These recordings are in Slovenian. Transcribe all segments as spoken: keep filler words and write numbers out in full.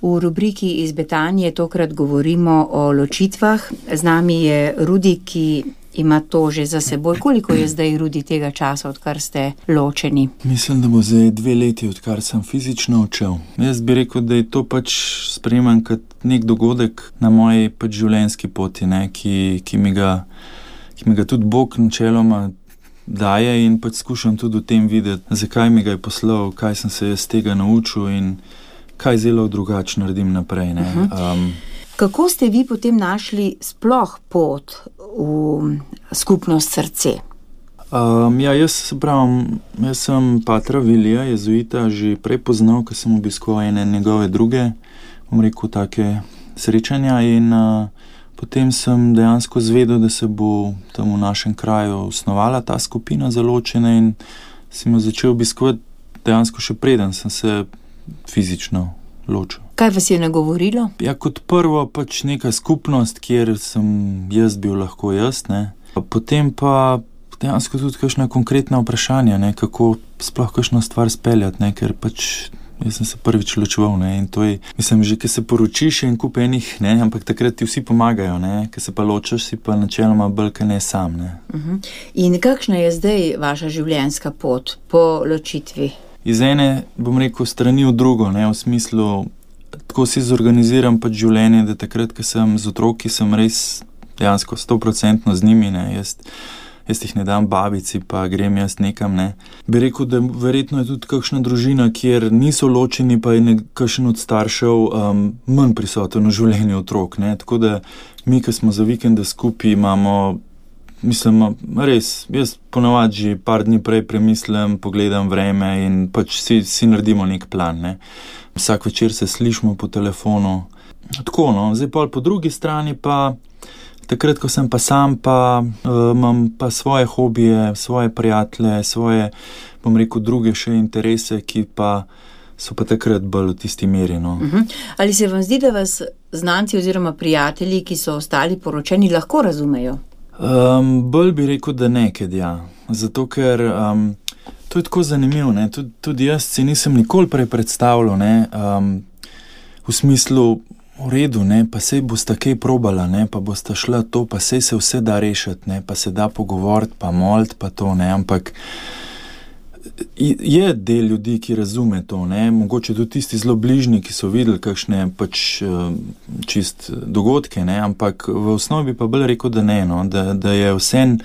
V rubriki Iz Betanije tokrat govorimo o ločitvah. Z nami je Rudi, ki ima to že za seboj. Koliko je zdaj, Rudi, tega časa, odkar ste ločeni? Mislim, da bo zdaj dve leti, odkar sem fizično odšel. Jaz bi rekel, da je to pač sprejemam kot nek dogodek na moji pač življenjski poti, ne, ki, ki mi ga, ki mi ga tudi Bog načeloma daje in pač skušam tudi v tem videti, zakaj mi ga je poslal, kaj sem se jaz tega naučil in kaj zelo drugače naredim naprej, ne. Um, Kako ste vi potem našli sploh pot v skupnost Srce? Um, ja, jaz se pravim, jaz sem patra Vilija, jezuita, že prej poznal, ko sem obiskoval ene njegove druge, bom rekel, take srečanja in uh, potem sem dejansko zvedel, da se bo tam v našem kraju osnovala ta skupina za ločene in sem jo začel obiskovati dejansko še preden sem se fizično ločil. Kaj vas je nagovorilo? Ja, kot prvo pač neka skupnost, kjer sem jaz bil lahko jaz, ne. Potem pa dejansko tudi kakšna konkretna vprašanja, ne, kako sploh kakšno stvar speljati, ne, ker pač jaz sem se prvič ločeval, ne, in to je, mislim, že, ko se poročiš in kup enih, ne, ampak takrat ti vsi pomagajo, ne, ko se pa ločaš, si pa načeloma bolj, ka ne sam, ne. Uh-huh. In kakšna je zdaj vaša življenjska pot po ločitvi? Iz ene, bom rekel, strani v drugo, ne, v smislu, tako si zorganiziram pač življenje, da takrat, ko sem z otroki, sem res dejansko sto procentno z njimi, ne, jaz, jaz jih ne dam babici, pa grem jaz nekam, ne. Bi rekel, da verjetno je tudi kakšna družina, kjer niso ločeni, pa je kakšen od staršev um, manj prisoten v življenju otrok, ne, tako da mi, ko smo za vikende skupaj, imamo, mislim, res, jaz ponavadi že par dni prej premislim, pogledam vreme in pač si, si naredimo nek plan, ne. Vsak večer se slišimo po telefonu. Tako, no, zdaj pol po drugi strani pa, takrat, ko sem pa sam, pa uh, imam pa svoje hobije, svoje prijatelje, svoje, bom rekel, druge še interese, ki pa so pa takrat bolj v tisti meri, no. Uh-huh. Ali se vam zdi, da vas znanci oziroma prijatelji, ki so ostali poročeni, lahko razumejo? Um, bolj bi rekel, da nekaj, ja. Zato, ker um, to je tako zanimivo, ne. Tud, tudi jaz si nisem nikoli prej predstavljal, ne, um, v smislu, v redu, ne, pa sej bosta kaj probala, ne, pa bosta šla to, pa sej se vse da rešiti, ne, pa se da pogovoriti, pa moliti, pa to, ne, ampak je del ljudi, ki razume to, ne, mogoče tudi tisti zelo bližnji, ki so videli kakšne pač čist dogodke, ne, ampak v osnovi pa bolj rekel, da ne, no, da, da je vsem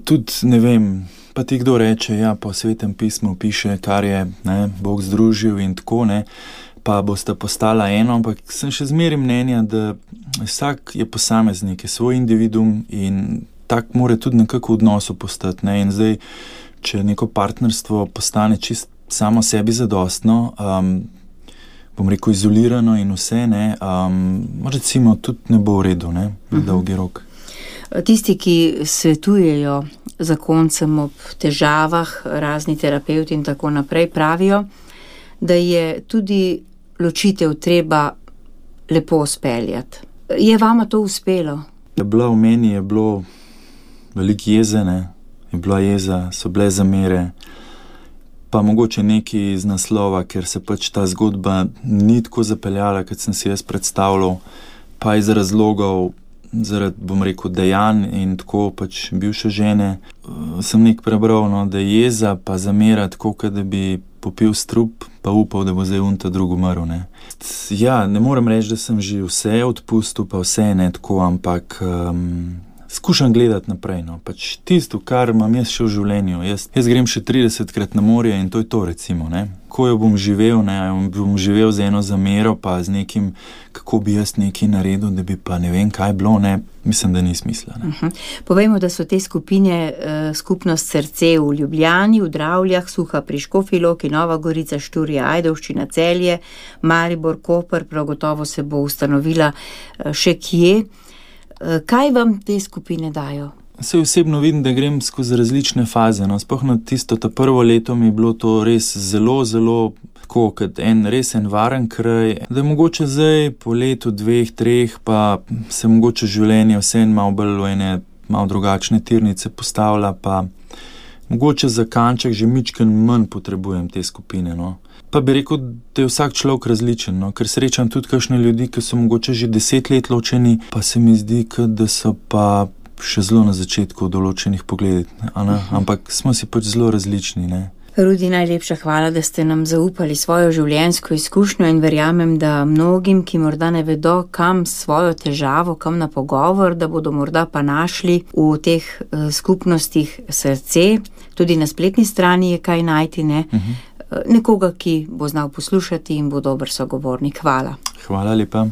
tudi, ne vem, pa ti kdo reče, ja, po Svetem pismu piše, kar je, ne, Bog združil in tako, ne, pa bosta postala eno, ampak sem še zmeraj mnenja, da vsak je posameznik, je svoj individuum in tak mora tudi nekako v odnosu postati, ne, in zdaj, če neko partnerstvo postane čist samo sebi zadostno, um, bom rekel izolirano in vse, ne, um, recimo tudi ne bo v redu, ne, na dolgi rok. Tisti, ki svetujejo zakoncem ob težavah, razni terapevti in tako naprej, pravijo, da je tudi ločitev treba lepo speljati. Je vama to uspelo? Je bila v meni, je bilo veliko jeze, ne, je bila jeza, so bile zamere, pa mogoče neki iz naslova, ker se pač ta zgodba ni tako zapeljala, kot sem si jaz predstavljal, pa iz razlogov, zaradi, bom rekel, dejanj in tako pač bivše žene, sem nek prebral, no, da je jeza pa zamera tako, kot da bi popil strup, pa upal, da bo zdaj unta drug umrl, ne. Ja, ne morem reči, da sem že vse odpustil, pa vse ne tako, ampak um, skušam gledati naprej, no, pač tisto, kar imam jaz še v življenju. Jaz, jaz grem še tridesetkrat na morje in to je to, recimo, ne. Ko jo bom živel, ne, bom živel z eno zamero, pa z nekim, kako bi jaz nekaj naredil, da bi pa ne vem kaj bilo, ne, mislim, da ni smisla, ne. Uh-huh. Povejmo, da so te skupine uh, skupnost Srce v Ljubljani, v Dravljah, Suha pri Škofji Loki, Nova Gorica, Šturje, Ajdovščina, Celje, Maribor, Koper, prav gotovo se bo ustanovila uh, še kje. Uh, kaj vam te skupine dajo? Se osebno vidim, da grem skozi različne faze, no, sploh na tisto, ta prvo leto mi je bilo to res zelo, zelo tako, kot en res en varen kraj, da je mogoče zdaj po letu, dveh, treh, pa se mogoče življenje vse malo bolj v ene malo drugačne tirnice postavlja, pa mogoče za kanček že mičken manj potrebujem te skupine, no. Pa bi rekel, da je vsak človek različen, no? Ker srečam tudi kakšne ljudi, ki so mogoče že deset let ločeni, pa se mi zdi, da so pa še zelo na začetku v določenih pogledih, ampak smo si pač zelo različni, ne. Rudi, najlepša hvala, da ste nam zaupali svojo življenjsko izkušnjo in verjamem, da mnogim, ki morda ne vedo, kam svojo težavo, kam na pogovor, da bodo morda pa našli v teh uh, skupnostih srce, tudi na spletni strani je kaj najti, ne? Uh-huh. Nekoga, ki bo znal poslušati in bo dober sogovornik. Hvala. Hvala lepa.